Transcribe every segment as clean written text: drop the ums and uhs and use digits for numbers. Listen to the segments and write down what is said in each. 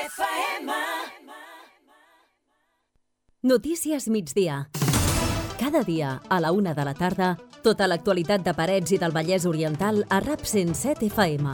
FM. Notícies migdia. Cada dia, a la 1 de la tarda, tota l'actualitat de Parets i del Vallès Oriental a RAP 107 FM.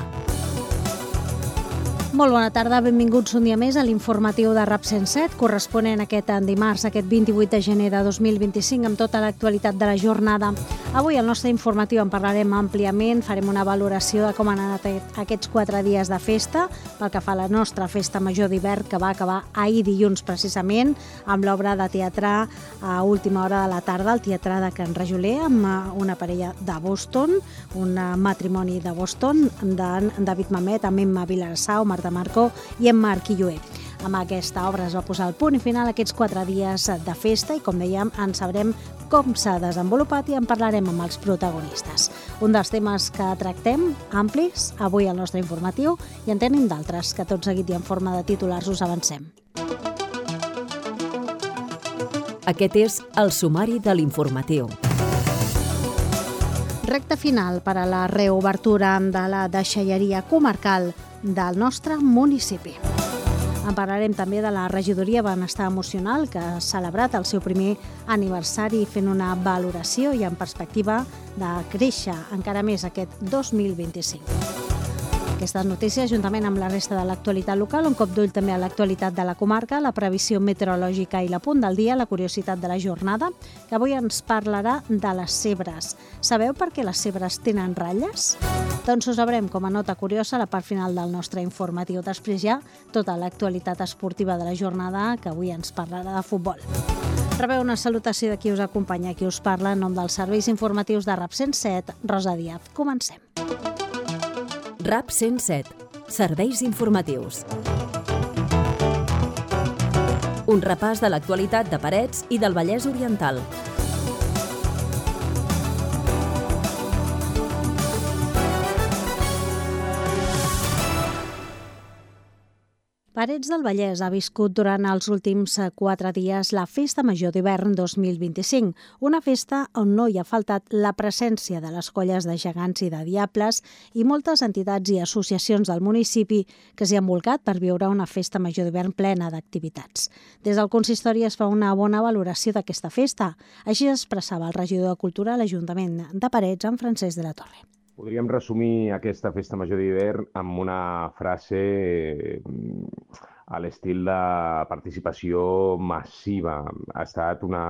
Molt bona tarda, benvinguts un dia més a l'informatiu de RAP 107, corresponent aquest dimarts, aquest 28 de gener de 2025, amb tota l'actualitat de la jornada. Avui al nostre informatiu en parlarem àmpliament, farem una valoració de com han anat aquests 4 dies de festa, pel que fa a la nostra festa major d'hivern, que va acabar ahir dilluns precisament, amb l'obra de teatre a última hora de la tarda, al Teatre de Can Rajoler, amb una parella de Boston, un matrimoni de Boston, d'en David Mamet, amb Emma Vilarassau, Marta Marco i en Marc Illué. Amb aquesta obra es va posar el punt i final aquests 4 dies de festa i, com dèiem, en sabrem com s'ha desenvolupat i en parlarem amb els protagonistes. Un dels temes que tractem, amplis, avui al nostre informatiu, i en tenim d'altres, que tot seguit i en forma de titulars us avancem. Aquest és el sumari de l'informatiu. Recte final per a la reobertura de la deixalleria comarcal del nostre municipi. En parlarem també de la regidoria Benestar Emocional, que ha celebrat el seu primer aniversari fent una valoració i en perspectiva de créixer encara més aquest 2025. Aquestes notícies, juntament amb la resta de l'actualitat local, un cop d'ull també a l'actualitat de la comarca, la previsió meteorològica i la punt del dia, la curiositat de la jornada, que avui ens parlarà de les zebres. Sabeu per què les zebres tenen ratlles? Doncs ho sabrem com a nota curiosa a la part final del nostre informatiu. Després ja tota l'actualitat esportiva de la jornada, que avui ens parlarà de futbol. Rebeu una salutació de qui us acompanya, qui us parla en nom dels serveis informatius de RAP 107, Rosa Díaz. Comencem. RAP 107. Serveis informatius. Un repàs de l'actualitat de Parets i del Vallès Oriental. Parets del Vallès ha viscut durant els últims 4 dies la Festa Major d'Hivern 2025, una festa on no hi ha faltat la presència de les colles de gegants i de diables i moltes entitats i associacions del municipi que s'hi han volcat per viure una Festa Major d'Hivern plena d'activitats. Des del consistori es fa una bona valoració d'aquesta festa. Així expressava el regidor de Cultura a l'Ajuntament de Parets, en Francesc de la Torre. Podríem resumir aquesta Festa Major d'Hivern amb una frase a l'estil de participació massiva. Ha estat una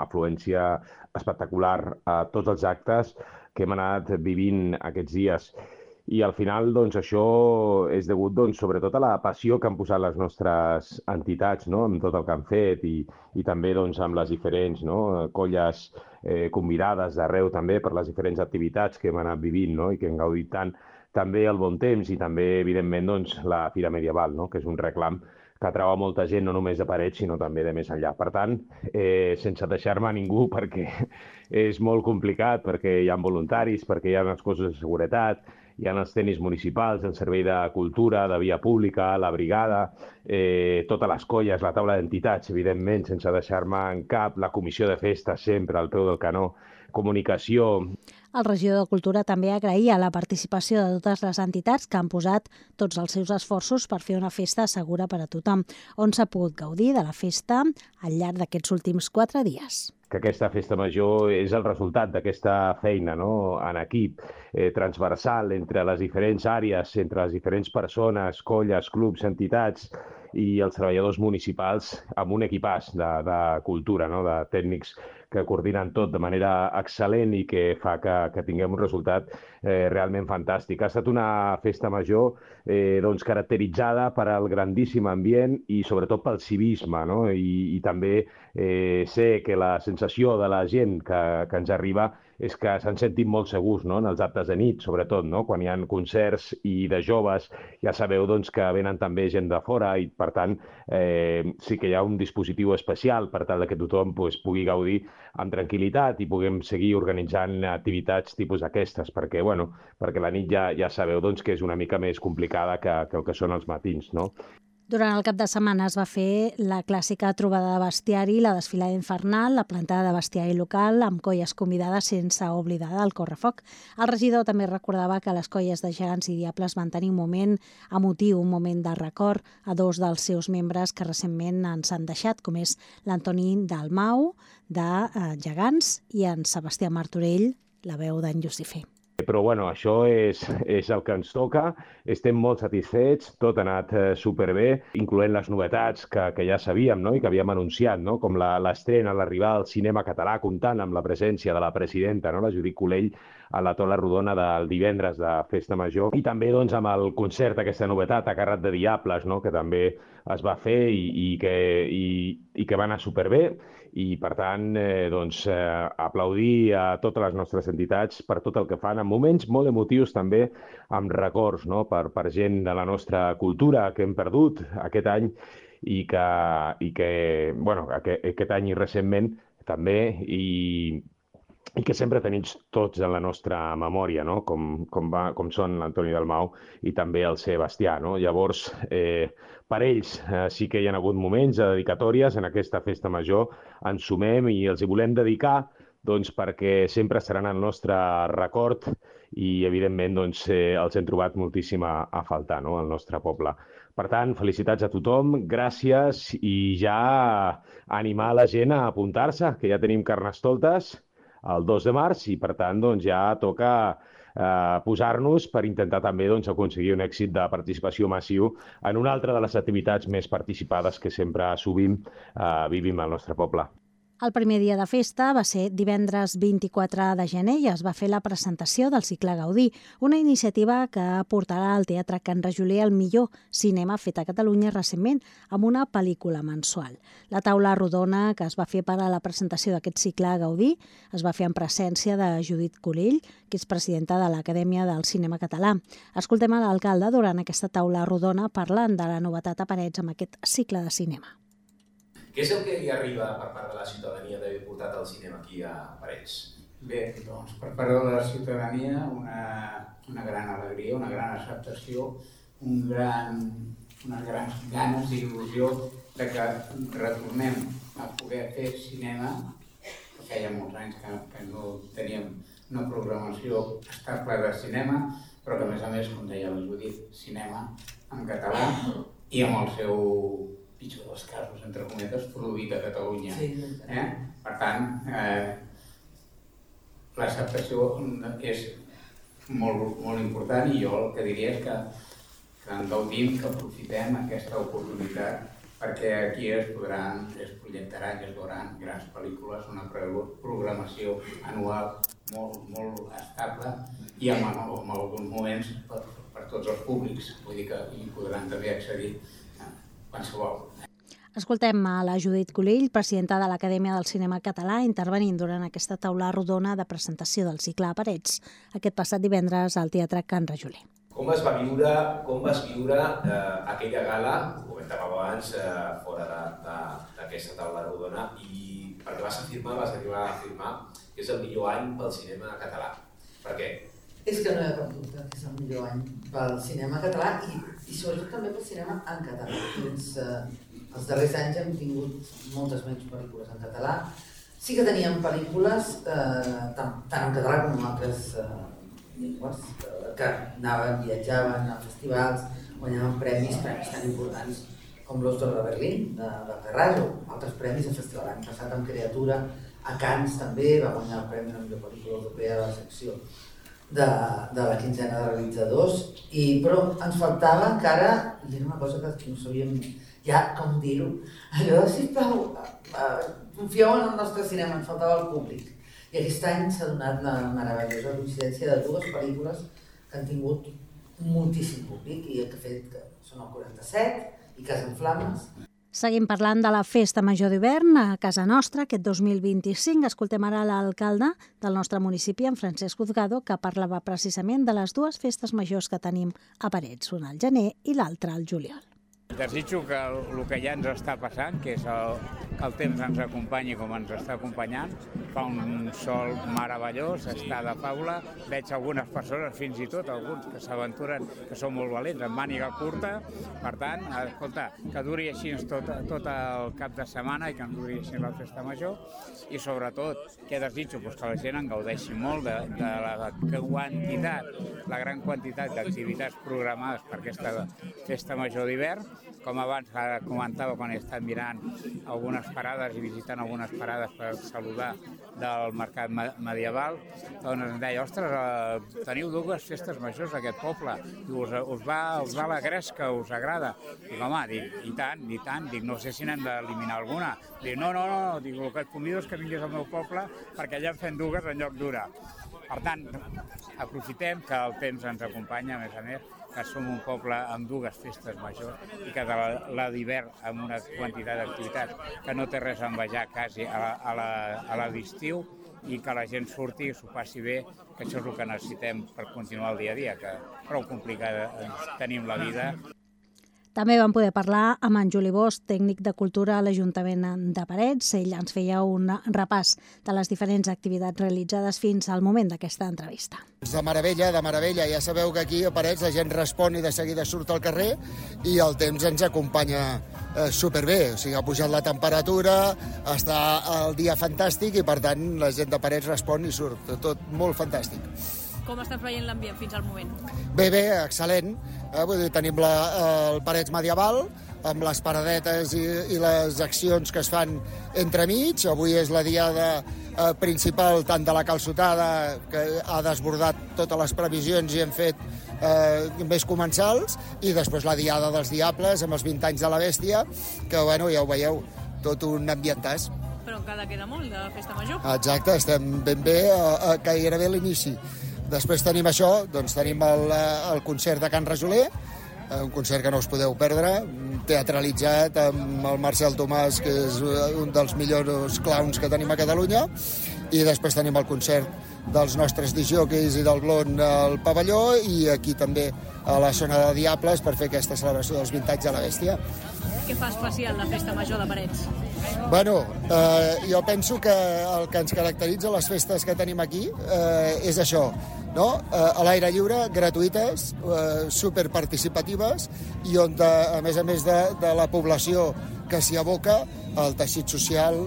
afluència espectacular a tots els actes que hem anat vivint aquests dies. I al final, doncs, això és degut, doncs, sobretot a la passió que han posat les nostres entitats, no?, amb tot el que han fet i també, doncs, amb les diferents, no?, colles convidades d'arreu també per les diferents activitats que hem anat vivint, no?, i que hem gaudit tant també el bon temps i també, evidentment, doncs, la Fira Medieval, no?, que és un reclam que atrau a molta gent, no només de Parets, sinó també de més enllà. Per tant, sense deixar-me a ningú, perquè és molt complicat, perquè hi ha voluntaris, perquè hi ha unes coses de seguretat, hi ha els tenis municipals, el servei de cultura, de via pública, la brigada, totes les colles, la taula d'entitats, evidentment, sense deixar-me en cap, la comissió de festes sempre al peu del canó, comunicació. El regidor de Cultura també agraïa la participació de totes les entitats que han posat tots els seus esforços per fer una festa segura per a tothom, on s'ha pogut gaudir de la festa al llarg d'aquests últims 4 dies. Que aquesta festa major és el resultat d'aquesta feina, no?, en equip, transversal entre les diferents àrees, entre les diferents persones, colles, clubs, entitats i els treballadors municipals amb un equipàs de cultura, no?, de tècnics que coordinen tot de manera excel·lent i que fa que tinguem un resultat realment fantàstic. Ha estat una festa major doncs, caracteritzada per al grandíssim ambient i sobretot pel civisme, no?, i també sé que la sensació de la gent que ens arriba és que s'han sentit molt segurs, no?, en els actes de nit, sobretot, no?, quan hi ha concerts i de joves, ja sabeu doncs, que venen també gent de fora i, per tant, sí que hi ha un dispositiu especial per tal que tothom pugui gaudir amb tranquil·litat i puguem seguir organitzant activitats tipus aquestes, perquè la nit ja sabeu doncs, que és una mica més complicada que el que són els matins, no? Durant el cap de setmana es va fer la clàssica trobada de bestiari, la desfilada infernal, la plantada de bestiari local, amb colles convidades sense oblidar el correfoc. El regidor també recordava que les colles de gegants i diables van tenir un moment emotiu, un moment de record a dos dels seus membres que recentment ens han deixat, com és l'Antoni Dalmau, de Gegants, i en Sebastià Martorell, la veu d'en Llucifer. Però bueno, això és el que ens toca, estem molt satisfets, tot ha anat superbé, incloent les novetats que ja sabíem, no? I que havíem anunciat, no? Com l'estrena, l'arribada al cinema català, comptant amb la presència de la presidenta, no? La Judit Culell, a la taula rodona del divendres de Festa Major, i també doncs, amb el concert, aquesta novetat, a càrrec de Diables, no? Que també es va fer i que va anar superbé. I, per tant, aplaudir a totes les nostres entitats per tot el que fan, en moments molt emotius també, amb records, no? per gent de la nostra cultura que hem perdut aquest any i que aquest any i recentment també, i que sempre tenim tots en la nostra memòria, no? com són l'Antoni Dalmau i també el Sebastià. No? Llavors, per ells sí que hi ha hagut moments de dedicatòries en aquesta festa major, ens sumem i els hi volem dedicar doncs, perquè sempre seran el nostre record i, evidentment, doncs, els hem trobat moltíssim a faltar, no? Al nostre poble. Per tant, felicitats a tothom, gràcies, i ja animar la gent a apuntar-se, que ja tenim Carnestoltes el 2 de març i, per tant, doncs, ja toca posar-nos per intentar també doncs, aconseguir un èxit de participació massiu en una altra de les activitats més participades que sempre sovint vivim al nostre poble. El primer dia de festa va ser divendres 24 de gener i es va fer la presentació del cicle Gaudí, una iniciativa que portarà al Teatre Can Rajoler el millor cinema fet a Catalunya recentment, amb una pel·lícula mensual. La taula rodona que es va fer per a la presentació d'aquest cicle Gaudí es va fer en presència de Judit Culell, que és presidenta de l'Acadèmia del Cinema Català. Escoltem a l'alcalde durant aquesta taula rodona parlant de la novetat a Parets amb aquest cicle de cinema. Què és el que hi arriba per part de la ciutadania d'haver portat el cinema aquí a Parets? Bé, doncs, per part de la ciutadania una gran alegria, una gran acceptació, unes grans ganes i il·lusió de que retornem a poder fer cinema. Feia molts anys que no teníem una programació estable de cinema, però que a més, com deia la Judit, cinema en català i amb el seu pitjor dels casos, entre cometes, produït a Catalunya. Sí. Per tant, l'acceptació és molt important i jo el que diria és que en gaudim, que aprofitem aquesta oportunitat perquè aquí es projectaran i es veuran grans pel·lícules, una programació anual molt estable i amb alguns moments per tots els públics, vull dir que hi podran també accedir qualsevol. Escoltem a la Judit Culell, presidenta de l'Acadèmia del Cinema Català, intervenint durant aquesta taula rodona de presentació del cicle a Parets, aquest passat divendres al Teatre Can Rajoler. Com vas viure aquella gala, ho comentàvem abans, fora d'aquesta taula rodona, i perquè vas arribar a afirmar que és el millor any pel cinema català. Per què? És que no hi ha cap dubte que és el millor any pel cinema català i sobretot també pel cinema en català. Els darrers anys hem tingut moltes menys pel·lícules en català. Sí que teníem pel·lícules tant en català com en altres llengües que viatjaven a festivals, guanyaven premis tan importants com l'Os d'Or de Berlín, de Ferraz, o altres premis a festival. L'any passat amb Creatura, a Cannes també va guanyar el premi de la millor pel·lícula europea de la secció de la quinzena de realitzadors, però ens faltava encara, i era una cosa que no sabíem ja com dir-ho, allò de, sisplau, confieu en el nostre cinema, ens faltava el públic. I aquest any s'ha donat la meravellosa coincidència de dues pel·lícules que han tingut moltíssim públic i que fet que són el 47 i Casa en Flames. Seguim parlant de la Festa Major d'hivern a casa nostra, aquest 2025. Escoltem ara l'alcalde del nostre municipi, en Francesc Uzgado, que parlava precisament de les dues festes majors que tenim a Parets, una al gener i l'altra al juliol. Desitjo que el que ja ens està passant, que és que el temps ens acompanyi com ens està acompanyant. Fa un sol meravellós, està de faula. Veig algunes persones, fins i tot alguns que s'aventuren, que són molt valents, amb màniga curta. Per tant, escolta, que duri així tot el cap de setmana i que ens duri així la festa major. I sobretot, què desitjo? Pues que la gent en gaudeixi molt de la quantitat, la gran quantitat d'activitats programades per aquesta festa major d'hivern. Com abans comentava quan he estat mirant algunes parades i visitant algunes parades per saludar del mercat medieval, doncs em deia, ostres, teniu dues festes majors d'aquest poble, us va la gresca, us agrada? Dic, home, i tant, dic, no sé si n'hem d'eliminar alguna. Dic, no, dic, el que et convido és que vinguis al meu poble perquè allà en fem dues en lloc d'una. Per tant, aprofitem que el temps ens acompanya, a més, que som un poble amb dues festes majors i que la d'hivern amb una quantitat d'activitats que no té res a envejar quasi a la d'estiu i que la gent surti i s'ho passi bé, que això és el que necessitem per continuar el dia a dia, que prou complicada tenim la vida. També vam poder parlar amb en Juli Bosch, tècnic de cultura a l'Ajuntament de Parets. Ell ens feia un repàs de les diferents activitats realitzades fins al moment d'aquesta entrevista. De meravella. Ja sabeu que aquí a Parets la gent respon i de seguida surt al carrer i el temps ens acompanya superbé. O sigui, ha pujat la temperatura, està el dia fantàstic i, per tant, la gent de Parets respon i surt. Tot molt fantàstic. Com estàs veient l'ambient fins al moment? Bé, excel·lent. Vull dir, tenim el Parets medieval, amb les paradetes i les accions que es fan entremig. Avui és la diada principal tant de la calçotada, que ha desbordat totes les previsions i hem fet més comensals, i després la diada dels diables amb els 20 anys de la bèstia, que, bueno, ja ho veieu, tot un ambientàs. Però encara queda molt de festa major. Exacte, estem ben bé, gairebé a l'inici. Després tenim això, doncs tenim el concert de Can Rajoler, un concert que no us podeu perdre, teatralitzat amb el Marcel Tomàs, que és un dels millors clowns que tenim a Catalunya, i després tenim el concert dels nostres discjòqueis i del Blon al pavelló, i aquí també a la zona de Diables per fer aquesta celebració dels 20 anys de la bèstia. Què fa especial la festa major de Parets? Bueno, jo penso que el que ens caracteritza les festes que tenim aquí és això, no? A l'aire lliure, gratuïtes, superparticipatives, i on, a més de la població que s'hi aboca, el teixit social,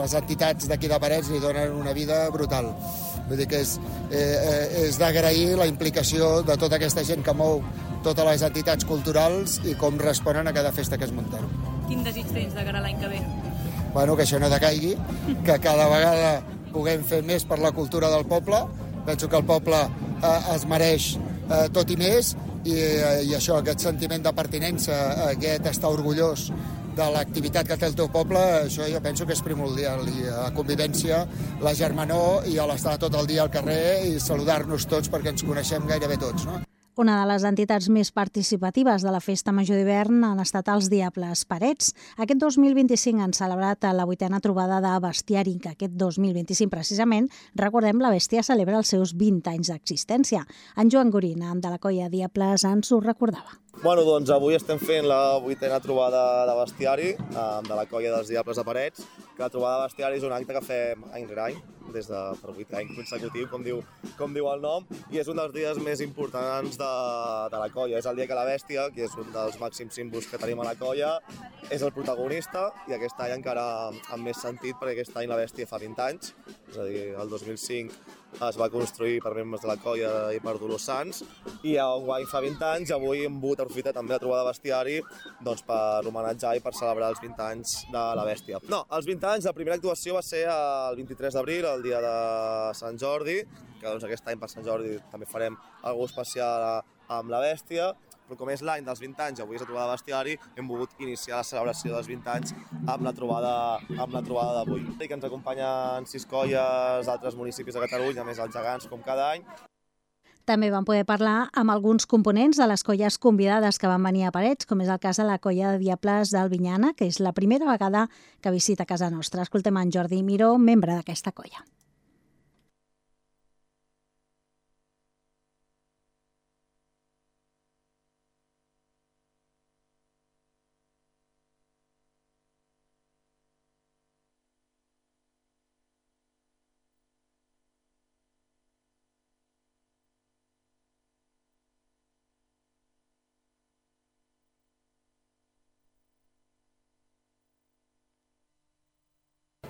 les entitats d'aquí de Parets li donen una vida brutal. Vull dir que és d'agrair la implicació de tota aquesta gent que mou totes les entitats culturals i com responen a cada festa que es munten. Quin desig tens de cara a l'any que ve? Bueno, que això no decaigui, que cada vegada puguem fer més per la cultura del poble. Penso que el poble es mereix tot i més, i això, aquest sentiment de pertinença, aquest estar orgullós de l'activitat que té el teu poble, això jo penso que és primordial, i la convivència, la germanor i l'estar tot el dia al carrer i saludar-nos tots perquè ens coneixem gairebé tots, no? Una de les entitats més participatives de la Festa Major d'hivern han estat els Diables Parets. Aquest 2025 han celebrat la 8a trobada de bestiari, que aquest 2025 precisament, recordem, la bèstia celebra els seus 20 anys d'existència. En Joan Gorina, de la colla Diables, ens ho recordava. Bueno, doncs avui estem fent la 8a trobada de bestiari de la colla dels Diables de Parets, que la trobada de bestiari és un acte que fem any rere any, des de per 8 anys consecutiu, com diu el nom, i és un dels dies més importants de la colla. És el dia que la bèstia, que és un dels màxims símbols que tenim a la colla, és el protagonista, i aquest any encara amb més sentit, perquè aquest any la bèstia fa 20 anys, és a dir, el 2005 es va construir per membres de la colla i per Dolors Sans, i enguany fa 20 anys, avui hem volgut aprofitar també la trobada de bestiari doncs, per homenatjar i per celebrar els 20 anys de la bèstia. No, els 20 anys, la primera actuació va ser el 23 d'abril, el dia de Sant Jordi, que doncs, aquest any per Sant Jordi també farem alguna cosa especial amb la bèstia, però com és l'any dels 20 anys, avui és la trobada de bestiari, hem volgut iniciar la celebració dels 20 anys amb la trobada d'avui. I que ens acompanyen 6 colles d'altres municipis de Catalunya, més els gegants, com cada any. També vam poder parlar amb alguns components de les colles convidades que van venir a Parets, com és el cas de la colla de Diables d'Albinyana, que és la primera vegada que visita casa nostra. Escoltem en Jordi Miró, membre d'aquesta colla.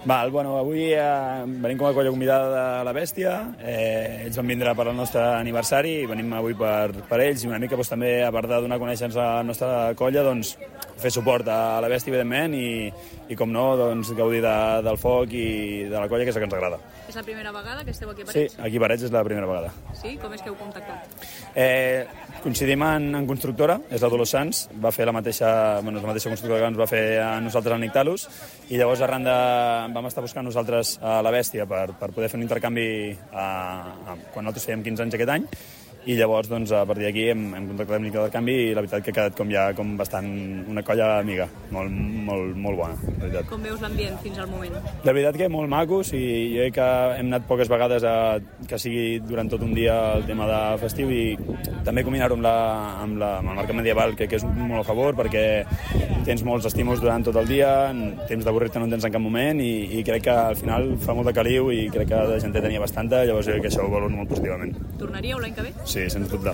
Bueno, avui venim com a colla convidada de la Bèstia. Ells van vindre per al nostre aniversari i venim avui per ells i una mica també, a part de donar a conèixer-nos a la nostra colla, fer suport a la Bèstia, evidentment, i com no, gaudir del foc i de la colla, que és el que ens agrada. És la primera vegada que esteu aquí a Parets? Sí, aquí a Parets és la primera vegada. Sí? Com és que heu contactat? Coincidim en constructora, és la Dolors Sans, va fer la mateixa constructora que ens va fer a nosaltres al Nictalus, i llavors arran vam estar buscant nosaltres a la Bèstia per poder fer un intercanvi quan nosaltres fèiem 15 anys aquest any, i llavors a partir d'aquí hem contactat amb l'intercanvi i la veritat que ha quedat com bastant una colla amiga, molt bona, la veritat. Com veus l'ambient fins al moment? La veritat que molt macos, i jo crec que hem anat poques vegades que sigui durant tot un dia el tema de festiu, i també combinar-ho amb el mercat medieval, que és molt a favor, perquè tens molts estímuls durant tot el dia, temps d'avorrir-te no en tens en cap moment, i crec que al final fa molt de caliu i crec que la gent tenia bastanta, llavors jo crec que això ho valoro molt positivament. Tornaríeu l'any que ve? Sí, sens dubte.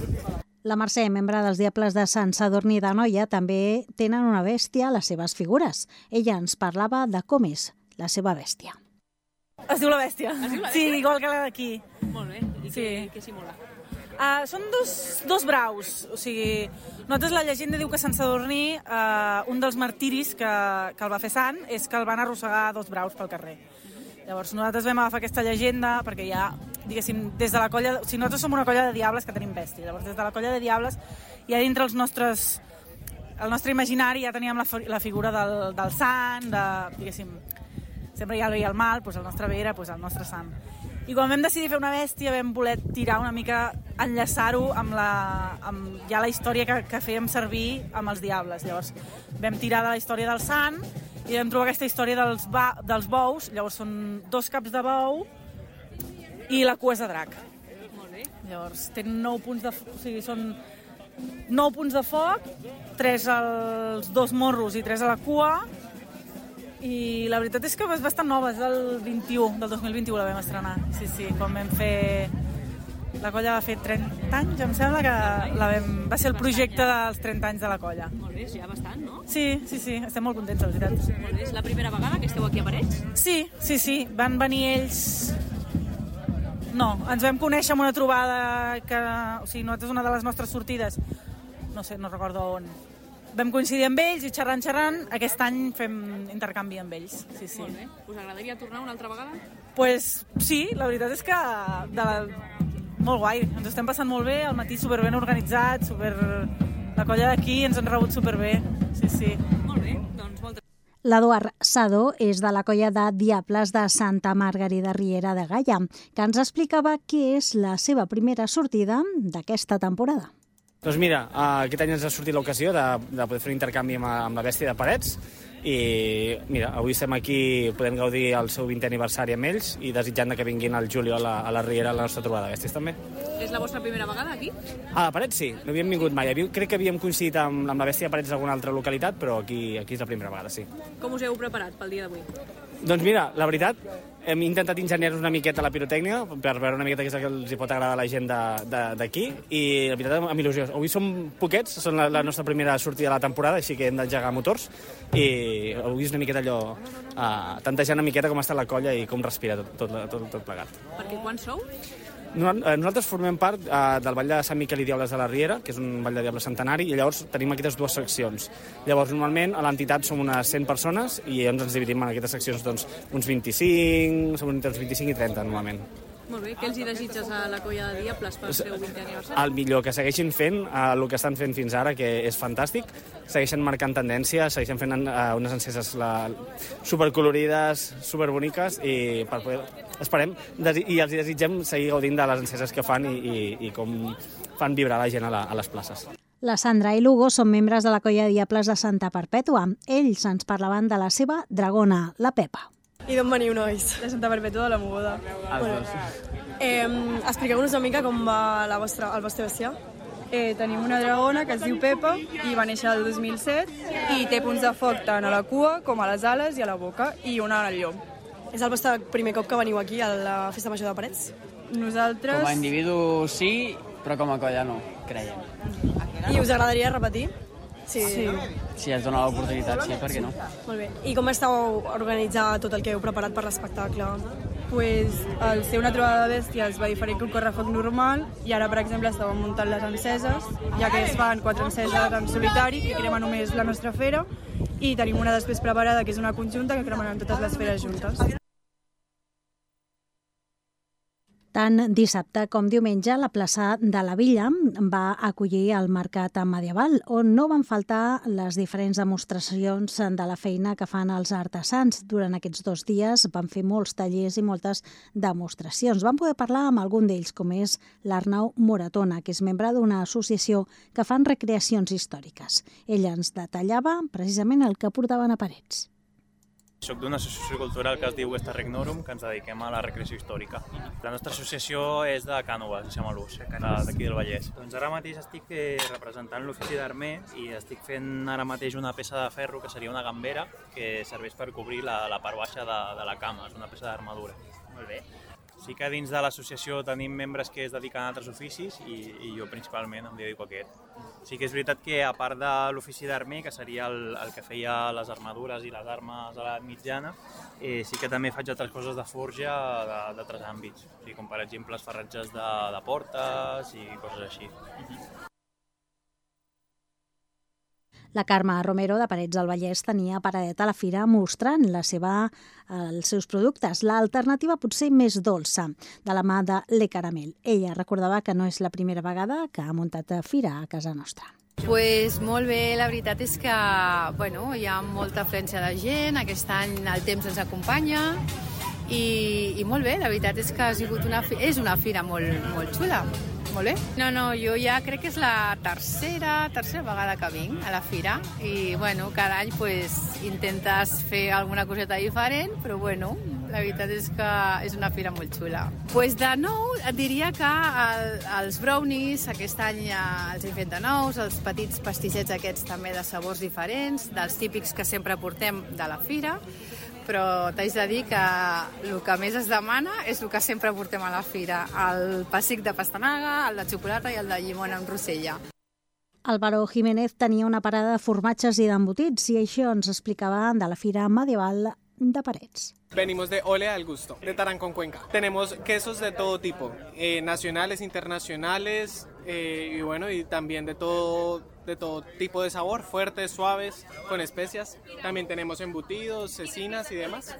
La Mercè, membre dels Diables de Sant Sadurní d'Anoia, també tenen una bèstia a les seves figures. Ella ens parlava de com és la seva bèstia. Es diu la Bèstia. Sí, igual que la d'aquí. Molt bé. I què simula? Són dos braus. O sigui, nosaltres la llegenda diu que Sant Sadurní, un dels martiris que el va fer sant, és que el van arrossegar dos braus pel carrer. Llavors nosaltres vam agafar aquesta llegenda perquè ja, diguéssim, des de la colla... O sigui, nosaltres som una colla de diables que tenim bèstia. Llavors, des de la colla de diables, ja dintre el nostre imaginari ja teníem la figura del sant, diguéssim, sempre hi ha el bé i el mal, doncs el nostre bé era el nostre sant. I quan vam decidir fer una bèstia vam voler tirar una mica, enllaçar-ho amb ja la història que fèiem servir amb els diables. Llavors vam tirar de la història del sant i vam trobar aquesta història dels bous. Llavors són 2 caps de bou i la cua és de drac. Molt bé. Llavors tenen 9 punts de foc, o sigui, són 9 punts de foc, 3 als 2 morros i 3 a la cua. I la veritat és que és bastant nova, és del 2021 la vam estrenar. Sí, quan vam fer... La colla va fer 30 anys, em sembla que va ser el projecte dels 30 anys de la colla. Molt bé, ja bastant, no? Sí, estem molt contents, la veritat. Molt bé, és la primera vegada que esteu aquí a Parets? Sí, van venir ells... No, ens vam conèixer amb una trobada que... O sigui, nosaltres una de les nostres sortides, no sé, no recordo on... Vam coincidir amb ells i xerrant, aquest any fem intercanvi amb ells. Sí. Molt bé. Us agradaria tornar una altra vegada? Pues sí, la veritat és que molt guai, ens estem passant molt bé, al matí superben organitzat, la colla d'aquí ens han rebut superbé. Sí. Molt bé, doncs moltes... L'Eduard Sadó és de la colla de Diables de Santa Margarida Riera de Gaia, que ens explicava què és la seva primera sortida d'aquesta temporada. Doncs mira, aquest any ens ha sortit l'ocasió de poder fer un intercanvi amb la Bèstia de Parets i mira, avui estem aquí, podem gaudir el seu 20è aniversari amb ells i desitjant que vinguin al juliol a la Riera a la nostra trobada de bèsties també. És la vostra primera vegada aquí? A Parets sí, no havíem vingut mai. Crec que havíem coincidit amb la Bèstia de Parets d'alguna altra localitat, però aquí és la primera vegada, sí. Com us heu preparat pel dia d'avui? Doncs mira, la veritat, hem intentat enginyar-nos una miqueta la pirotècnia per veure una miqueta què és el que els pot agradar a la gent d'aquí i la veritat amb il·lusió. Avui som poquets, són la nostra primera sortida de la temporada, així que hem d'engegar motors i avui és una miqueta allò, tantejar una miqueta com està la colla i com respira tot plegat. Perquè quants sou? Nosaltres formem part del Ball de Sant Miquel i Diables de la Riera, que és un ball de diables centenari, i llavors tenim aquestes 2 seccions. Llavors, normalment, a l'entitat som unes 100 persones i ens dividim en aquestes seccions uns 25, som entre uns 25 i 30, normalment. Molt bé, què els hi desitges a la colla de Diables pel seu 20è aniversari? El millor, que segueixin fent el que estan fent fins ara, que és fantàstic, segueixen marcant tendència, segueixen fent unes enceses supercolorides, superboniques i per poder... Esperem i els desitgem seguir gaudint de les enceses que fan i com fan vibrar la gent a les places. La Sandra i l'Hugo són membres de la colla de Diables de Santa Perpètua. Ells ens parlaven de la seva dragona, la Pepa. I d'on veniu, nois? De Santa Perpètua de la Mogoda. Expliqueu-nos una mica com va el vostre bestiar. Tenim una dragona que es diu Pepa i va néixer el 2007 i té punts de foc tant a la cua com a les ales i a la boca i una al llom. És el vostre primer cop que veniu aquí a la Festa Major de Parets? Nosaltres... Com a individu sí, però com a colla no, creiem. I us agradaria repetir? Sí. Si es dona l'oportunitat, sí, per què no? Molt bé. I com estàu organitzat tot el que heu preparat per l'espectacle? Pues, al ser una trobada de bèsties va diferent que un correfoc normal i ara, per exemple, estàvem muntant les enceses, ja que es fan 4 enceses en solitari, que crema només la nostra fera, i tenim una després preparada, que és una conjunta, que cremaran totes les feres juntes. Tant dissabte com diumenge, la plaça de la Villa va acollir el mercat medieval, on no van faltar les diferents demostracions de la feina que fan els artesans. Durant aquests 2 dies van fer molts tallers i moltes demostracions. Vam poder parlar amb algun d'ells, com és l'Arnau Moratona, que és membre d'una associació que fan recreacions històriques. Ella ens detallava precisament el que portaven a parets. Soc d'una associació cultural que es diu Gesta Regnorum, que ens dediquem a la recreació històrica. La nostra associació és de Cànoves, de Xamalús, d'aquí del Vallès. Doncs ara mateix estic representant l'ofici d'armer i estic fent ara mateix una peça de ferro que seria una gambera que serveix per cobrir la part baixa de la cama, és una peça d'armadura. Molt bé. Sí que dins de l'associació tenim membres que es dediquen a altres oficis i jo principalment em dedico a aquest. Sí que és veritat que a part de l'ofici d'armer, que seria el que feia les armadures i les armes a l'edat mitjana, sí que també faig altres coses de forja d'altres àmbits, com per exemple els ferratges de portes i coses així. La Carme Romero, de Parets del Vallès, tenia paradeta a la fira mostrant els seus productes. L'alternativa potser més dolça, de la mà de Le Caramel. Ella recordava que no és la primera vegada que ha muntat fira a casa nostra. Pues molt bé, la veritat és que hi ha molta afluència de gent, aquest any el temps ens acompanya i molt bé, la veritat és que ha sigut és una fira molt xula. Molt bé. No, jo ja crec que és la tercera vegada que vinc a la fira i cada any intentes fer alguna coseta diferent, però la veritat és que és una fira molt xula. De nou, et diria que els brownies aquest any els hem fet de nous, els petits pastissets aquests també de sabors diferents, dels típics que sempre portem de la fira, però t'haig de dir que el que més es demana és el que sempre portem a la fira, el pessic de pastanaga, el de xocolata i el de llimona amb rosella. Álvaro Jiménez tenia una parada de formatges i d'embotits i això ens explicava de la Fira Medieval de Parets. Venimos de Ole al Gusto, de Tarancón, Cuenca. Tenemos quesos de todo tipo, nacionales, internacionales, y también de todo tipo de sabor, fuertes, suaves, con especias. También tenemos embutidos, cecinas y demás.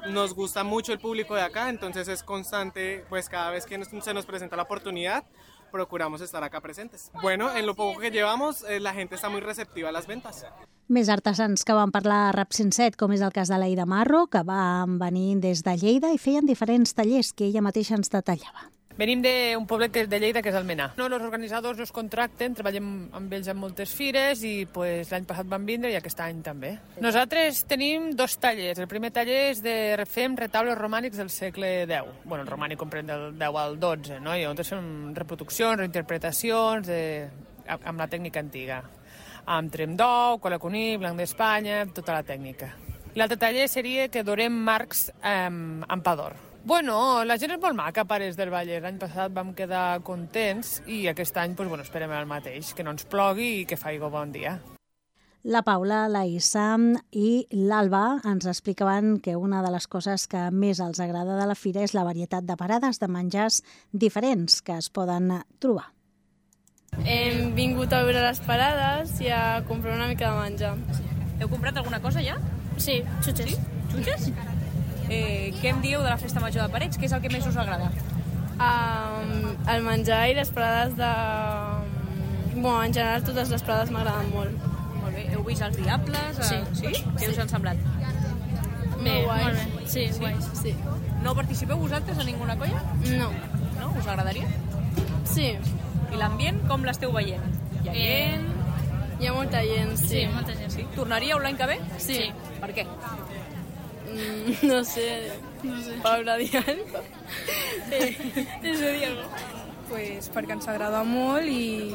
Nos gusta mucho el público de acá, entonces es constante, cada vez que se nos presenta la oportunidad, procuramos estar acá presentes. En lo poco que llevamos, la gente está muy receptiva a las ventas. Més artesans que van parlar a Rap 107, com és el cas de l'Aida Marro, que van venir des de Lleida i feien diferents tallers que ella mateixa ens detallava. Venim d'un poblet de Lleida, que és Almenar. Els organitzadors ens contracten, treballem amb ells en moltes fires i l'any passat van vindre i aquest any també. Nosaltres tenim 2 tallers. El primer taller és fem retaules romànics del segle X. El romànic comprèn del 10 al 12, no? I llavors fem reproduccions, reinterpretacions amb la tècnica antiga. Amb trem d'ou, cola conill, blanc d'Espanya, tota la tècnica. L'altre taller seria que dorem marcs amb pa d'or. La gent és molt maca a Parets del Vallès. L'any passat vam quedar contents i aquest any esperem el mateix, que no ens plogui i que faci bon dia. La Paula, la Issa i l'Alba ens explicaven que una de les coses que més els agrada de la fira és la varietat de parades de menjars diferents que es poden trobar. Hem vingut a veure les parades i a comprar una mica de menjar. Heu comprat alguna cosa ja? Sí, xutxes. Sí? Xutxes? Què em dieu de la Festa Major de Parets? Què és el que més us agrada? El menjar i les parades de... en general totes les parades m'agraden molt. Molt bé. Heu vist els Diables? Sí. Què us han semblat? Bé, molt bé. Sí, guais, sí. No participeu vosaltres en ninguna colla? No. No? Us agradaria? Sí. I l'ambient, com l'esteu veient? Hi ha gent? Hi ha molta gent, sí. Molta gent. Sí? Tornaríeu l'any que ve? Sí. Per què? No sé. Paula Diallo. Eso Diego. Perquè ens agrada molt i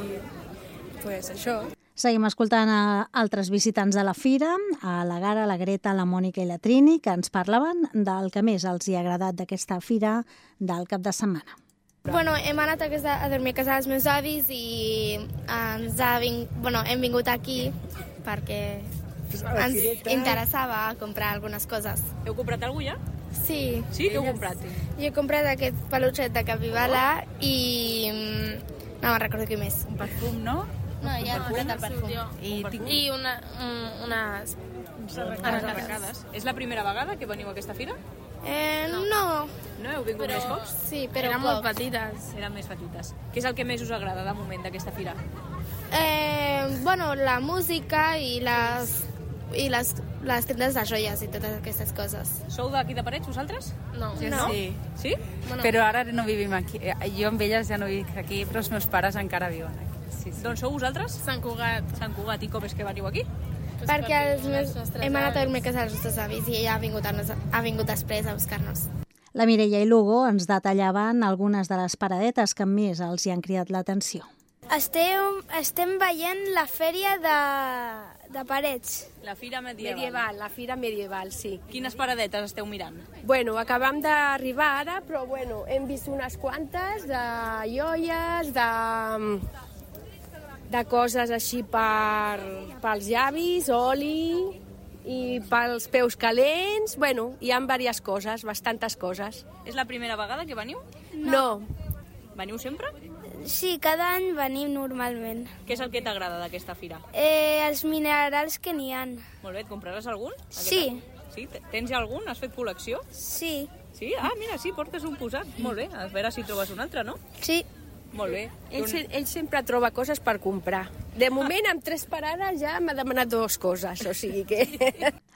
això. Seguim escoltant a altres visitants de la fira, a la Gara, la Greta, la Mònica i la Trini, que ens parlaven del que més els hi ha agradat d'aquesta fira del cap de setmana. Bueno, hem anat a dormir a casa dels meus avis i hem vingut aquí perquè ens interessava comprar algunes coses. Heu comprat alguna cosa ja? Sí. Sí? Què heu comprat? Jo he comprat aquest peluixet de capibala i... no me'n recordo què més. Un perfum, no? No, ja he comprat el perfum. I unes arracades. És la primera vegada que veniu a aquesta fira? No. No heu vingut més cops? Sí, però eren molt petites. Eren més petites. Què és el que més us agrada de moment d'aquesta fira? Bueno, la música i les tendes de joies i totes aquestes coses. Sou d'aquí de Parets, vosaltres? No. No? Sí. Sí? Bueno. Però ara no vivim aquí. Jo amb elles ja no vic aquí, però els meus pares encara viuen aquí. Sí. D'on sou vosaltres? Sant Cugat. Sant Cugat. I com és que veniu aquí? Perquè hem anat a dormir a casa dels nostres avis i ella ha vingut després a buscar-nos. La Mireia i l'Hugo ens detallaven algunes de les paradetes que més els hi han cridat l'atenció. Estem veient la fèria de Parets. La fira medieval. La fira medieval, sí. Quines paradetes esteu mirant? Bueno, acabam d'arribar ara, però bueno, hem vist unes quantes de joies, de coses així pels llavis, oli i pels peus calents. Bueno, hi ha diverses coses, bastantes coses. És la primera vegada que veniu? No. Veniu sempre? Sí, cada any venim normalment. Què és el que t'agrada d'aquesta fira? Els minerals que n'hi ha. Molt bé, et compraràs algun? Sí. Sí? Tens ja algun? Has fet col·lecció? Sí. Sí? Ah, mira, sí, portes un posat. Molt bé, a veure si trobes un altre, no? Sí. Molt bé. Ell sempre troba coses per comprar. De moment, amb 3 parades ja m'ha demanat 2 coses, o sigui que...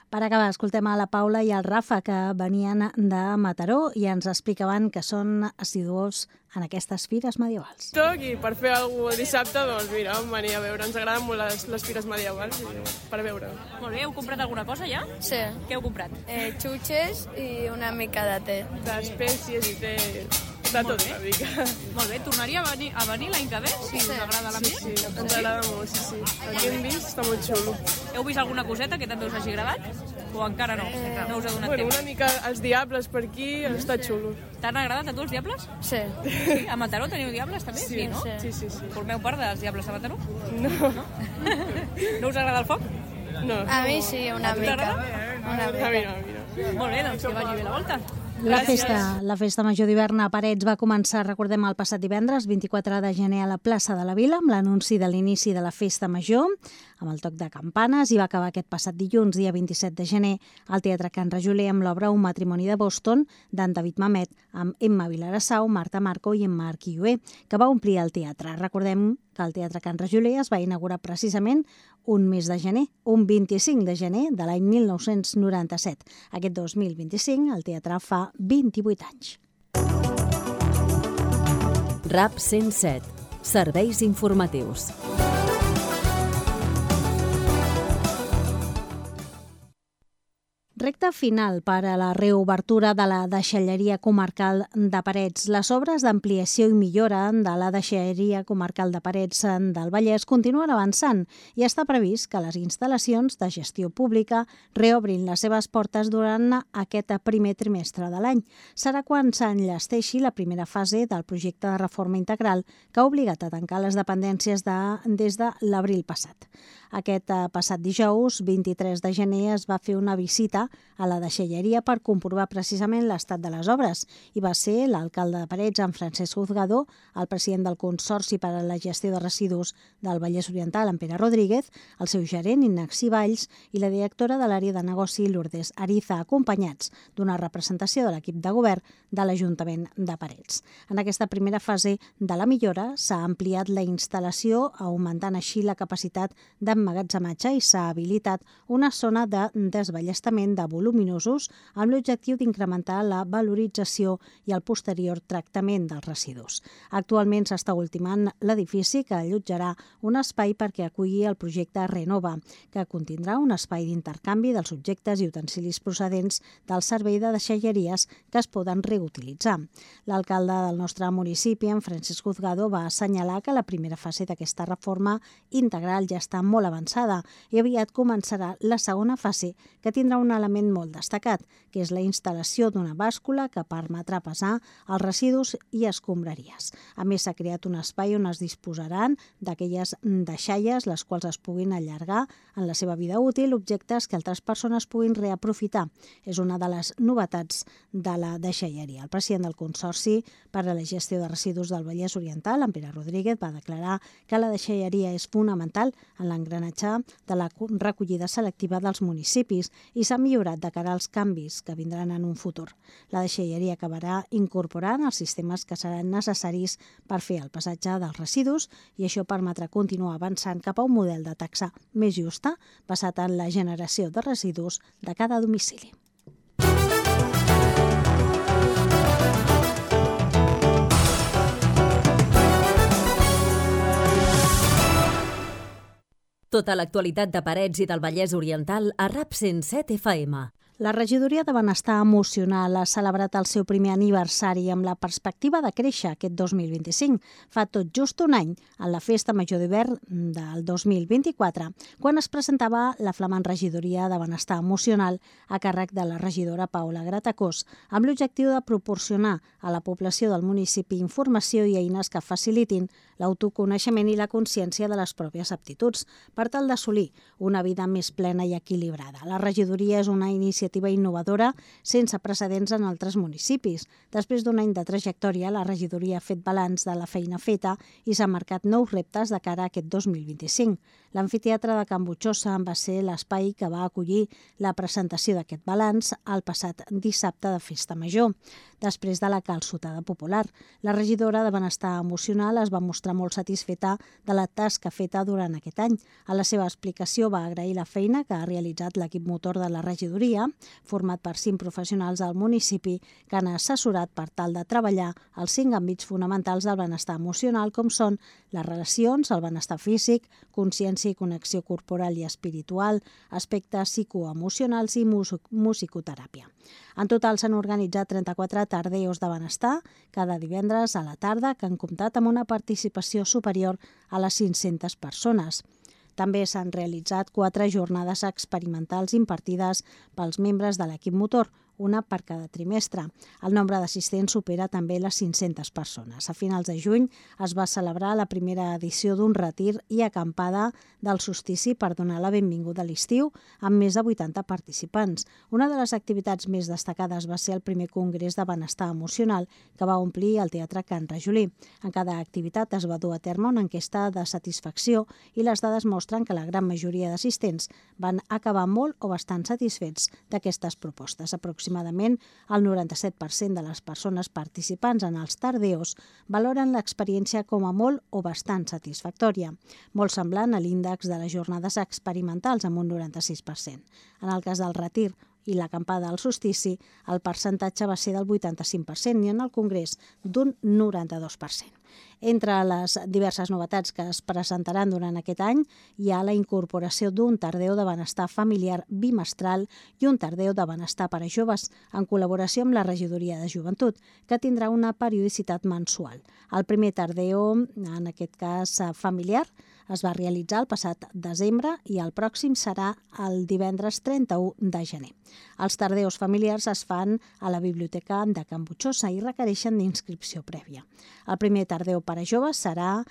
Per acabar, escoltem a la Paula i al Rafa, que venien de Mataró i ens explicaven que són assidus en aquestes fires medievals. I per fer alguna cosa el dissabte, doncs mira, venir a veure. Ens agraden molt les fires medievals per veure. Molt bé, heu comprat alguna cosa ja? Sí. Què heu comprat? Xutxes i una mica de té. D'espècies i té... de tot una mica. Molt bé, tornaria a venir l'any que ve? Si us agrada l'ambient? Sí, ens agrada molt, sí. El que hem vist està molt xulo. Heu vist alguna coseta que també us hagi agradat? O encara no? No us ha donat temps? Una mica els diables per aquí, està xulo. T'han agradat a tu els diables? Sí. A Mataró teniu diables també? Sí, no? Sí. Formeu part dels diables de Mataró? No. No us agrada el foc? No. A mi sí, una mica. A mi no. Molt bé, doncs que vagi bé la volta. La festa major d'hivern a Parets va començar, recordem, el passat divendres, 24 de gener, a la plaça de la Vila, amb l'anunci de l'inici de la festa major, amb el toc de campanes, i va acabar aquest passat dilluns, dia 27 de gener, al Teatre Can Rajoler, amb l'obra Un matrimoni de Boston, d'en David Mamet, amb Emma Vilarassau, Marta Marco i en Marc Iué, que va omplir el teatre. Recordem que el Teatre Can Rajoler es va inaugurar precisament un mes de gener, un 25 de gener de l'any 1997. Aquest 2025 el teatre fa 28 anys. RAP 107. Serveis informatius. Recte final per a la reobertura de la deixalleria comarcal de Parets. Les obres d'ampliació i millora de la deixalleria comarcal de Parets del Vallès continuen avançant i està previst que les instal·lacions de gestió pública reobrin les seves portes durant aquest primer trimestre de l'any. Serà quan s'enllesteixi la primera fase del projecte de reforma integral que ha obligat a tancar les dependències des de l'abril passat. Aquest passat dijous, 23 de gener, es va fer una visita a la deixalleria per comprovar precisament l'estat de les obres i va ser l'alcalde de Parets, en Francesc Juzgado, el president del Consorci per a la Gestió de Residus del Vallès Oriental, en Pere Rodríguez, el seu gerent, Ignasi Valls, i la directora de l'àrea de negoci, Lourdes Ariza, acompanyats d'una representació de l'equip de govern de l'Ajuntament de Parets. En aquesta primera fase de la millora s'ha ampliat la instal·lació, augmentant així la capacitat d'emmagatzematge i s'ha habilitat una zona de desballestament de voluminosos amb l'objectiu d'incrementar la valorització i el posterior tractament dels residus. Actualment s'està ultimant l'edifici que allotjarà un espai perquè aculli el projecte Renova, que contindrà un espai d'intercanvi dels objectes i utensilis procedents del servei de deixalleries que es poden reutilitzar. L'alcalde del nostre municipi, en Francesc Juzgado, va assenyalar que la primera fase d'aquesta reforma integral ja està molt molt avançada i aviat començarà la segona fase, que tindrà un element molt destacat, que és la instal·lació d'una bàscula que permetrà pesar els residus i escombraries. A més, s'ha creat un espai on es disposaran d'aquelles deixalles, les quals es puguin allargar en la seva vida útil, objectes que altres persones puguin reaprofitar. És una de les novetats de la deixalleria. El president del Consorci per a la Gestió de Residus del Vallès Oriental, en Pere Rodríguez, va declarar que la deixalleria és fonamental en l'engranatge de la recollida selectiva dels municipis i s'ha millorat de cara als canvis que vindran en un futur. La deixalleria acabarà incorporant els sistemes que seran necessaris per fer el pesatge dels residus i això permetrà continuar avançant cap a un model de taxa més justa basat en la generació de residus de cada domicili. Tota l'actualitat de Parets i del Vallès Oriental a RAP 107 FM. La Regidoria de Benestar Emocional ha celebrat el seu primer aniversari amb la perspectiva de créixer aquest 2025. Fa tot just un any, en la Festa Major d'Hivern del 2024, quan es presentava la flamant Regidoria de Benestar Emocional a càrrec de la regidora Paula Gratacós, amb l'objectiu de proporcionar a la població del municipi informació i eines que facilitin l'autoconeixement i la consciència de les pròpies aptituds, per tal d'assolir una vida més plena i equilibrada. La regidoria és una iniciativa innovadora sense precedents en altres municipis. Després d'un any de trajectòria, la regidoria ha fet balanç de la feina feta i s'ha marcat nous reptes de cara a aquest 2025. L'amfiteatre de Can Butxosa va ser l'espai que va acollir la presentació d'aquest balanç el passat dissabte de Festa Major. Després de la calçotada popular, la regidora de Benestar Emocional es va mostrar molt satisfeta de la tasca feta durant aquest any. A la seva explicació va agrair la feina que ha realitzat l'equip motor de la regidoria, format per 5 professionals del municipi que han assessorat per tal de treballar els 5 àmbits fonamentals del benestar emocional, com són les relacions, el benestar físic, consciència i connexió corporal i espiritual, aspectes psicoemocionals i musicoteràpia. En total s'han organitzat 34 tardeos de benestar cada divendres a la tarda que han comptat amb una participació superior a les 500 persones. També s'han realitzat 4 jornades experimentals impartides pels membres de l'equip motor, una per cada trimestre. El nombre d'assistents supera també les 500 persones. A finals de juny es va celebrar la primera edició d'un retir i acampada del solstici per donar la benvinguda a l'estiu amb més de 80 participants. Una de les activitats més destacades va ser el primer congrés de benestar emocional que va omplir el Teatre Can Rajolí. En cada activitat es va dur a terme una enquesta de satisfacció i les dades mostren que la gran majoria d'assistents van acabar molt o bastant satisfets d'aquestes propostes. Aproximadament el 97% de les persones participants en els tardeos valoren l'experiència com a molt o bastant satisfactòria, molt semblant a l'índex de les jornades experimentals amb un 96%. En el cas del retir i l'acampada al solstici, el percentatge va ser del 85% i en el congrés d'un 92%. Entre les diverses novetats que es presentaran durant aquest any hi ha la incorporació d'un tardeu de benestar familiar bimestral i un tardeu de benestar per a joves en col·laboració amb la Regidoria de Joventut, que tindrà una periodicitat mensual. El primer tardeu, en aquest cas familiar, es va realitzar el passat desembre i el pròxim serà el divendres 31 de gener. Els tardeus familiars es fan a la Biblioteca de Can Butxosa i requereixen d'inscripció prèvia. El primer tardeu per a joves serà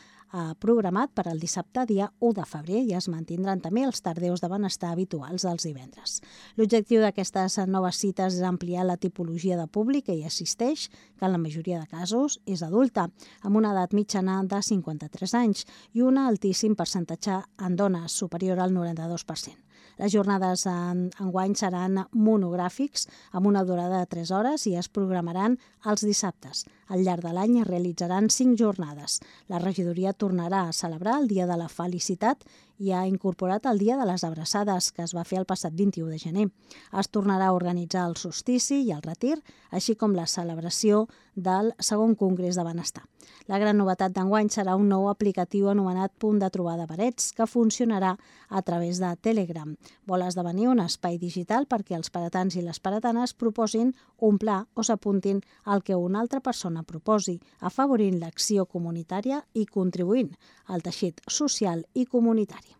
programat per al dissabte dia 1 de febrer i es mantindran també els tardeus de benestar habituals dels divendres. L'objectiu d'aquestes noves cites és ampliar la tipologia de públic que hi assisteix, que en la majoria de casos és adulta, amb una edat mitjana de 53 anys i un altíssim percentatge en dones, superior al 92%. Les jornades enguany seran monogràfics amb una durada de 3 hores i es programaran els dissabtes. Al llarg de l'any es realitzaran 5 jornades. La regidoria tornarà a celebrar el Dia de la Felicitat i ha incorporat el Dia de les Abraçades, que es va fer el passat 21 de gener. Es tornarà a organitzar el solstici i el retir, així com la celebració del segon Congrés de Benestar. La gran novetat d'enguany serà un nou aplicatiu anomenat Punt de Trobada Parets, que funcionarà a través de Telegram. Vol esdevenir un espai digital perquè els paretans i les paretanes proposin un pla o s'apuntin al que una altra persona proposi, afavorint l'acció comunitària i contribuint al teixit social i comunitari.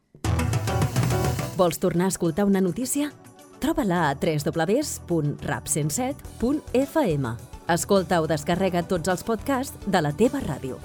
Vols tornar a escoltar una notícia? Troba-la a www.rap107.fm. Escolta o descarrega tots els podcasts de la teva ràdio.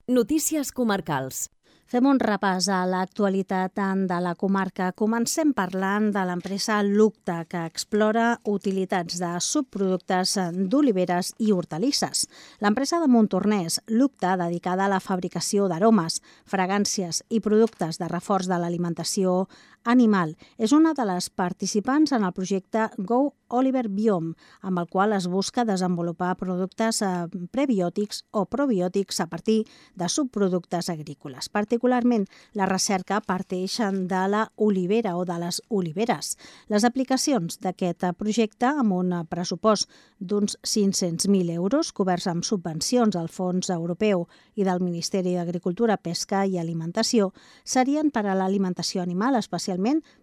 Notícies comarcals. Fem un repàs a l'actualitat de la comarca. Comencem parlant de l'empresa Lucta, que explora utilitats de subproductes d'oliveres i hortalisses. L'empresa de Montornès, Lucta, dedicada a la fabricació d'aromes, fragàncies i productes de reforç de l'alimentació animal, és una de les participants en el projecte Go Oliver Biome, amb el qual es busca desenvolupar productes prebiòtics o probiòtics a partir de subproductes agrícoles. Particularment, la recerca parteix de la olivera o de les oliveres. Les aplicacions d'aquest projecte, amb un pressupost d'uns 500.000 euros, coberts amb subvencions del Fons Europeu i del Ministeri d'Agricultura, Pesca i Alimentació, serien per a l'alimentació animal, especialment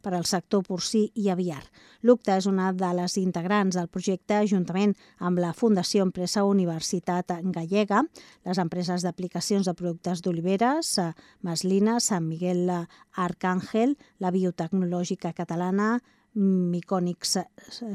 per al sector porcí i aviar. Lucta és una de les integrants del projecte juntament amb la Fundació Empresa Universitat Gallega, les empreses d'aplicacions de productes d'oliveres, Maslina, Sant Miguel Arcàngel, la biotecnològica catalana, Micònics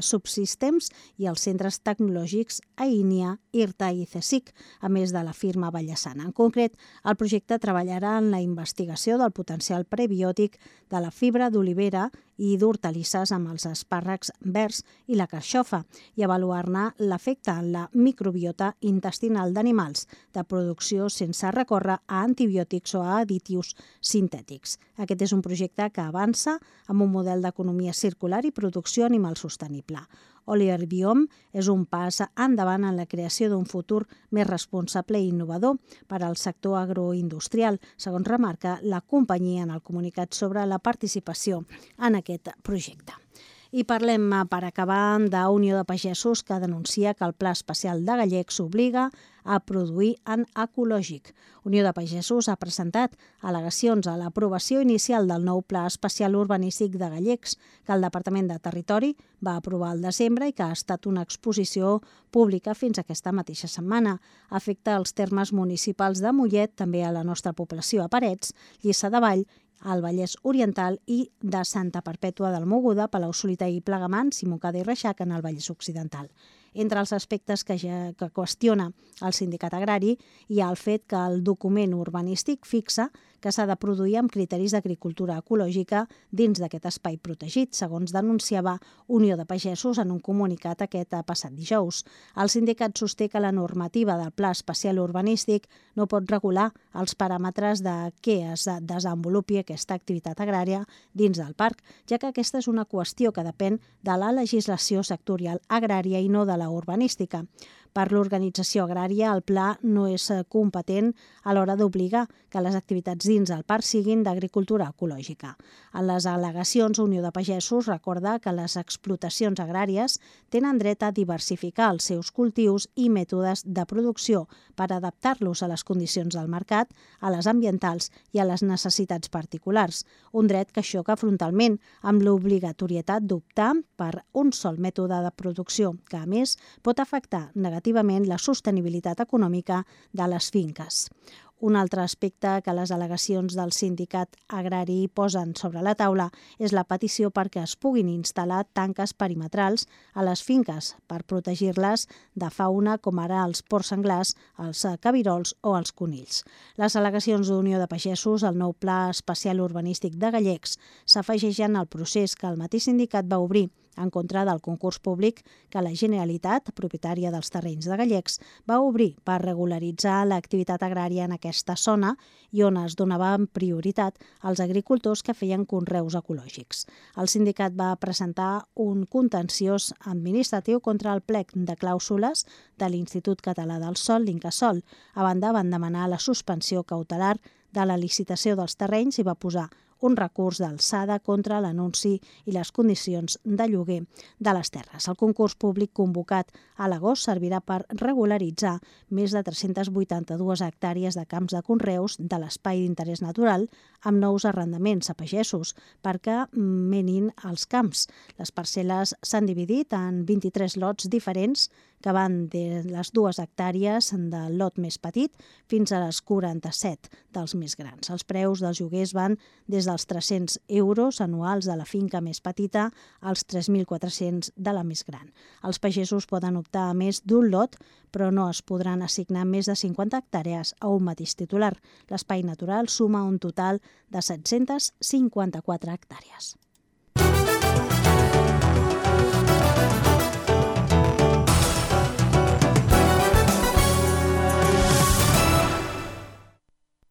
Subsystems i els centres tecnològics AINIA, IRTA i CSIC, a més de la firma Vallesana. En concret, el projecte treballarà en la investigació del potencial prebiòtic de la fibra d'olivera i d'hortalisses amb els espàrrecs verds i la carxofa i avaluar-ne l'efecte en la microbiota intestinal d'animals de producció sense recórrer a antibiòtics o a additius sintètics. Aquest és un projecte que avança amb un model d'economia circular i producció animal sostenible. Oliver Biome és un pas endavant en la creació d'un futur més responsable i innovador per al sector agroindustrial, segons remarca la companyia en el comunicat sobre la participació en aquest projecte. I parlem, per acabar, d'Unió de Pagesos, que denuncia que el Pla Especial de Gallecs obliga a produir en ecològic. Unió de Pagesos ha presentat al·legacions a l'aprovació inicial del nou Pla Especial Urbanístic de Gallecs, que el Departament de Territori va aprovar al desembre i que ha estat una exposició pública fins aquesta mateixa setmana. Afecta els termes municipals de Mollet, també a la nostra població a Parets, Lliçà de Vall, al Vallès Oriental i de Santa Perpètua del Mogoda, Palau-solità i Plegamans i Montcada i Reixac en el Vallès Occidental. Entre els aspectes que qüestiona el sindicat agrari hi ha el fet que el document urbanístic fixa que s'ha de produir amb criteris d'agricultura ecològica dins d'aquest espai protegit, segons denunciava Unió de Pagesos en un comunicat aquest passat dijous. El sindicat sosté que la normativa del Pla Especial Urbanístic no pot regular els paràmetres de què es desenvolupi aquesta activitat agrària dins del parc, ja que aquesta és una qüestió que depèn de la legislació sectorial agrària i no de la urbanística. Per l'organització agrària, el pla no és competent a l'hora d'obligar que les activitats dins del parc siguin d'agricultura ecològica. En les al·legacions, Unió de Pagesos recorda que les explotacions agràries tenen dret a diversificar els seus cultius i mètodes de producció per adaptar-los a les condicions del mercat, a les ambientals i a les necessitats particulars. Un dret que xoca frontalment amb l'obligatorietat d'optar per un sol mètode de producció, que a més pot afectar negativament la sostenibilitat econòmica de les finques. Un altre aspecte que les al·legacions del sindicat agrari posen sobre la taula és la petició perquè es puguin instal·lar tanques perimetrals a les finques per protegir-les de fauna com ara els porcs senglars, els cabirols o els conills. Les al·legacions d'Unió de Pagesos al nou Pla Especial Urbanístic de Gallecs s'afegeixen al procés que el mateix sindicat va obrir en contra del concurs públic que la Generalitat, propietària dels terrenys de Gallecs, va obrir per regularitzar l'activitat agrària en aquesta zona i on es donava prioritat als agricultors que feien conreus ecològics. El sindicat va presentar un contenciós administratiu contra el plec de clàusules de l'Institut Català del Sòl, l'Incasòl. A banda, van demanar la suspensió cautelar de la licitació dels terrenys i va posar un recurs d'alçada contra l'anunci i les condicions de lloguer de les terres. El concurs públic convocat a l'agost servirà per regularitzar més de 382 hectàrees de camps de conreus de l'espai d'interès natural amb nous arrendaments a pagesos perquè menin els camps. Les parcel·les s'han dividit en 23 lots diferents que van de les 2 hectàrees del lot més petit fins a les 47 dels més grans. Els preus dels lloguers van des dels 300 euros anuals de la finca més petita als 3.400 de la més gran. Els pagesos poden optar a més d'un lot, però no es podran assignar més de 50 hectàrees a un mateix titular. L'espai natural suma un total de 754 hectàrees.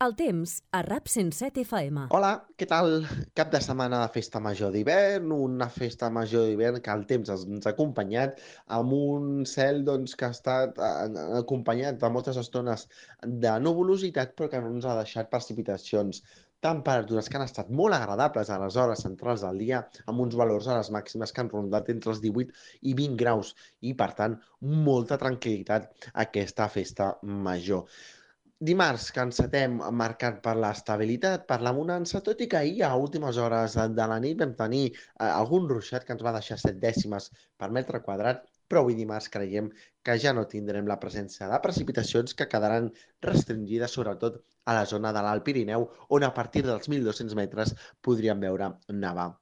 El temps a RAP 107 FM. Hola, què tal? Cap de setmana de festa major d'hivern, una festa major d'hivern que el temps ens ha acompanyat amb un cel que ha estat acompanyat de moltes estones de nuvolositat però que no ens ha deixat precipitacions. Temperatures que han estat molt agradables a les hores centrals del dia, amb uns valors a les màximes que han rondat entre els 18 i 20 graus i, per tant, molta tranquil·litat aquesta festa major. Dimarts que encetem marcat per l'estabilitat, per la bonança, tot i que ahir a últimes hores de la nit vam tenir algun ruixat que ens va deixar 7 dècimes per metre quadrat, però avui dimarts creiem que ja no tindrem la presència de precipitacions que quedaran restringides sobretot a la zona de l'Alt Pirineu, on a partir dels 1.200 metres podríem veure nevar.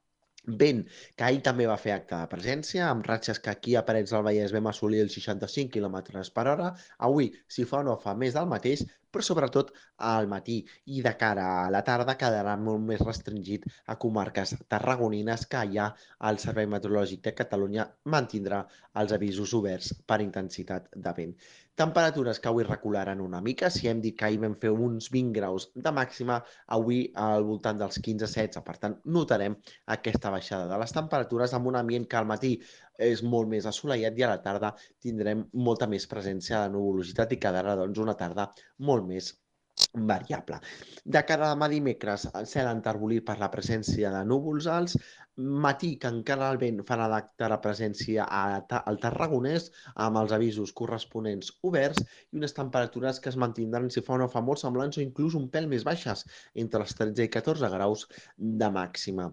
Vent, que ahir també va fer acte de presència, amb ratxes que aquí a Parets del Vallès vam assolir els 65 km per hora. Avui, si fa o no fa més del mateix, però sobretot al matí i de cara a la tarda quedarà molt més restringit a comarques tarragonines que allà el Servei Meteorològic de Catalunya mantindrà els avisos oberts per intensitat de vent. Temperatures que avui recularan una mica, si hem dit que ahir vam fer uns 20 graus de màxima, avui al voltant dels 15-16, per tant notarem aquesta baixada de les temperatures amb un ambient que al matí és molt més assolellat i a la tarda tindrem molta més presència de nuvolositat i quedarà una tarda molt més variable. De cara a demà dimecres, el cel enterbolit per la presència de núvols alts, matí que encara el vent farà d'acte de presència al Tarragonès amb els avisos corresponents oberts i unes temperatures que es mantindran si fa o no fa molt semblants o inclús un pèl més baixes, entre els 13 i 14 graus de màxima.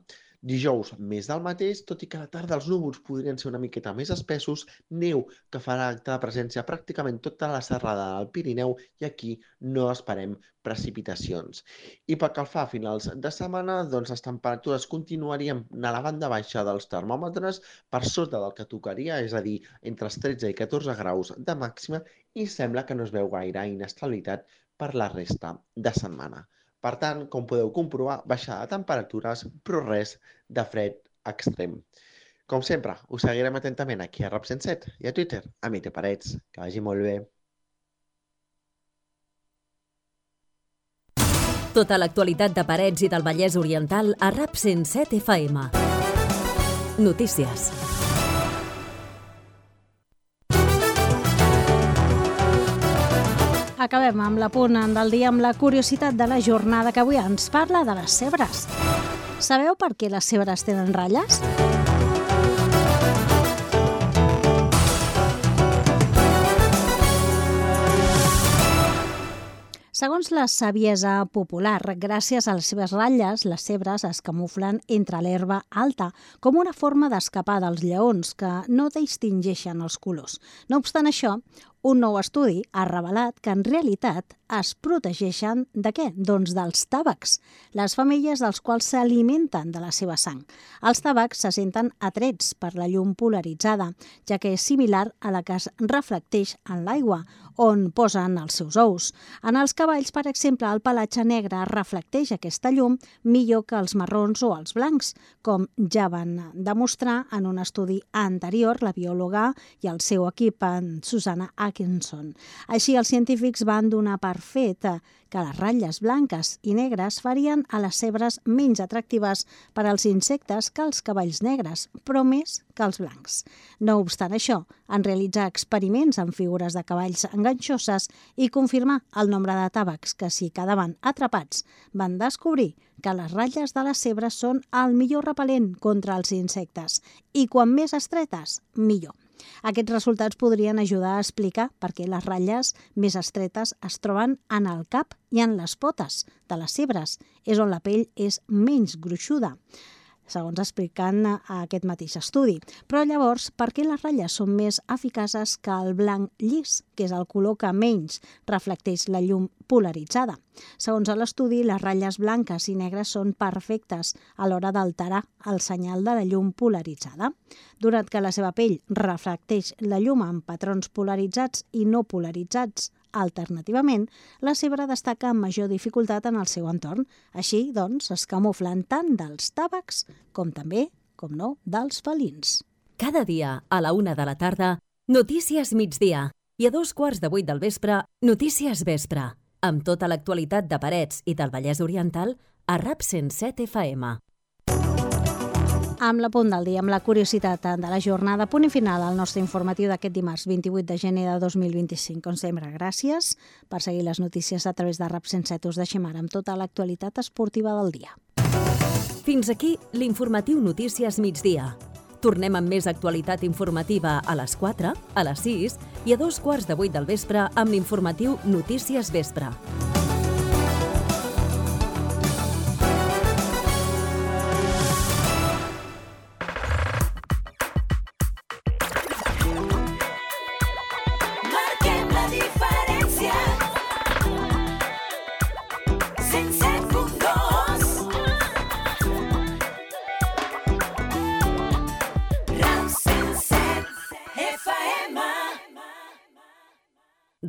Dijous, més del mateix, tot i que a la tarda els núvols podrien ser una miqueta més espessos, neu que farà acte de presència pràcticament tota la serrada del Pirineu i aquí no esperem precipitacions. I pel que fa a finals de setmana, les temperatures continuarien a la banda baixa dels termòmetres per sota del que tocaria, és a dir, entre els 13 i 14 graus de màxima i sembla que no es veu gaire inestabilitat per la resta de setmana. Per tant, com podeu comprovar, baixada de temperatures, però res de fred extrem. Com sempre, us seguirem atentament aquí a RAP 107 i a Twitter, a Mite Parets. Que vagi molt bé. Tota l'actualitat de Parets i del Vallès Oriental a RAP 107 FM. Notícies. Acabem amb l'apunt del dia amb la curiositat de la jornada que avui ens parla de les zebres. Sabeu per què les zebres tenen ratlles? Segons la saviesa popular, gràcies a les seves ratlles, les zebres es camuflen entre l'herba alta, com una forma d'escapar dels lleons que no distingeixen els colors. No obstant això, un nou estudi ha revelat que en realitat es protegeixen de què? Doncs dels tàvecs, les femelles dels quals s'alimenten de la seva sang. Els tàvecs se senten atrets per la llum polaritzada, ja que és similar a la que es reflecteix en l'aigua, on posen els seus ous. En els cavalls, per exemple, el pelatge negre reflecteix aquesta llum millor que els marrons o els blancs, com ja van demostrar en un estudi anterior la biòloga i el seu equip, en Susanna Atkinson. Així, els científics van donar per fet que les ratlles blanques i negres farien a les zebres menys atractives per als insectes que els cavalls negres, però més que els blancs. No obstant això, en realitzar experiments amb figures de cavalls enganxoses i confirmar el nombre de tàvecs que s'hi quedaven atrapats, van descobrir que les ratlles de les zebres són el millor repel·lent contra els insectes i quan més estretes, millor. Aquests resultats podrien ajudar a explicar per què les ratlles més estretes es troben en el cap i en les potes de les zebres, és on la pell és menys gruixuda. segons expliquen a aquest mateix estudi. Però llavors, per què les ratlles són més eficaces que el blanc llis, que és el color que menys reflecteix la llum polaritzada? Segons l'estudi, les ratlles blanques i negres són perfectes a l'hora d'alterar el senyal de la llum polaritzada. Donat que la seva pell reflecteix la llum en patrons polaritzats i no polaritzats alternativament, la zebra destaca amb major dificultat en el seu entorn. Així, doncs, es camuflen tant dels tàvecs com també, com no, dels felins. Cada dia, a la 1 de la tarda, Notícies Migdia. I a 2:15 del vespre, Notícies Vespre. Amb tota l'actualitat de Parets i del Vallès Oriental a RAP 107 FM. Amb la punt del dia, amb la curiositat de la jornada, punt i final al nostre informatiu d'aquest dimarts 28 de gener de 2025. Com sempre, gràcies per seguir les notícies a través de RAP 107. Us deixem ara amb tota l'actualitat esportiva del dia. Fins aquí l'informatiu Notícies Migdia. Tornem amb més actualitat informativa a les 4, a les 6 i a 2:15 del vespre amb l'informatiu Notícies Vespre.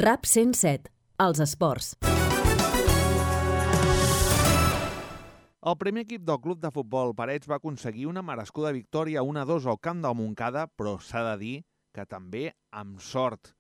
RAP 107, els esports. El primer equip del club de futbol Parets va aconseguir una merescuda victòria 1-2 al camp del Montcada, però s'ha de dir que també amb sort.